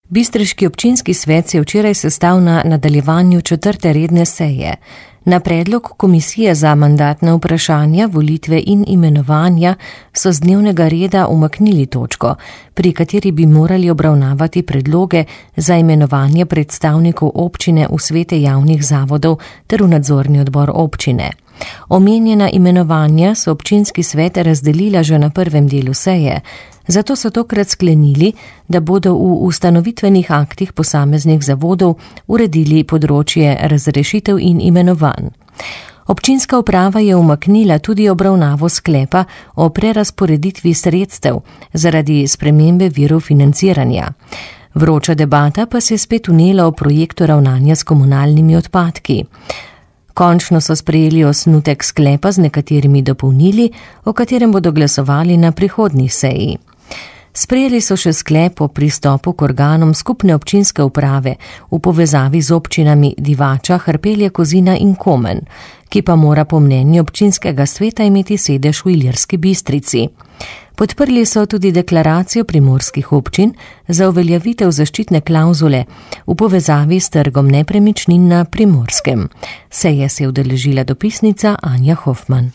Bistriški občinski svet se je včeraj sestal na nadaljevanju 4. redne seje. Na predlog Komisije za mandatna vprašanja, volitve in imenovanja so z dnevnega reda umaknili točko, pri kateri bi morali obravnavati predloge za imenovanje predstavnikov občine v svete javnih zavodov ter v nadzorni odbor občine. Omenjena imenovanja so občinski svet razdelila že na prvem delu seje, zato so tokrat sklenili, da bodo v ustanovitvenih aktih posameznih zavodov uredili področje razrešitev in imenovanj. Občinska uprava je umaknila tudi obravnavo sklepa o prerazporeditvi sredstev zaradi spremembe virov financiranja. Vroča debata pa se je spet vnela o projektu ravnanja s komunalnimi odpadki. Končno so sprejeli osnutek sklepa z nekaterimi dopolnili, o katerem bodo glasovali na prihodnji seji. Sprejeli so še sklep o pristopu k organom skupne občinske uprave v povezavi z občinami Divača, Hrpelje, Kozina in Komen, ki pa mora po mnenju občinskega sveta imeti sedež v Ilirski Bistrici. Podprli so tudi deklaracijo primorskih občin za uveljavitev zaščitne klavzule v povezavi s trgom nepremičnin na Primorskem. Seje se je udeležila dopisnica Anja Hofman.